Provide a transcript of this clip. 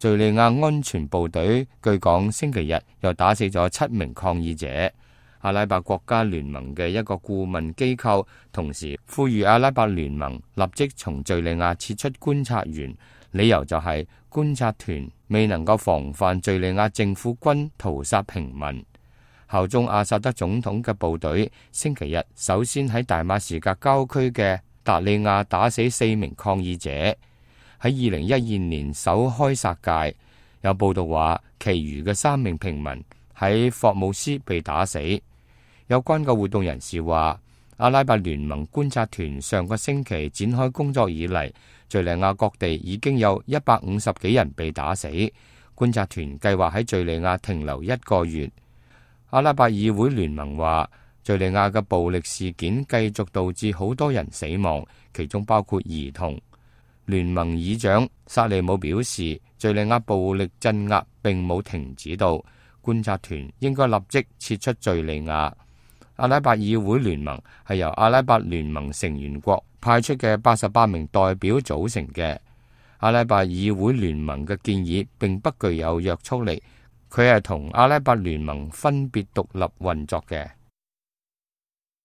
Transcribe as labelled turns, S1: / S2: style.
S1: 敘利亞安全部隊據講星期日又打死咗7名抗議者。阿拉伯國家聯盟嘅一個顧問機構同時呼籲阿拉伯聯盟立即從敘利亞撤出觀察員，理由就係觀察團未能夠防範敘利亞政府軍屠殺平民。效忠阿薩德總統嘅部隊星期日首先喺大馬士革郊區嘅達利亞打死4名抗議者。喺2012年首開殺戒，有報道話其餘嘅3名平民喺霍姆斯被打死。有關嘅活動人士話，阿拉伯聯盟觀察團上個星期展開工作以嚟，敘利亞各地已經有150幾人被打死。觀察團計劃喺敘利亞停留1個月。阿拉伯議會聯盟話，敘利亞嘅暴力事件繼續導致好多人死亡，其中包括兒童。聯盟議長薩利姆表示，敘利亞暴力鎮壓並冇停止到，觀察團應該立即撤出敘利亞。阿拉伯議會聯盟係由阿拉伯聯盟成員國派出嘅88名代表組成嘅。阿拉伯議會聯盟嘅建議並不具有約束力，佢係同阿拉伯聯盟分別獨立運作嘅。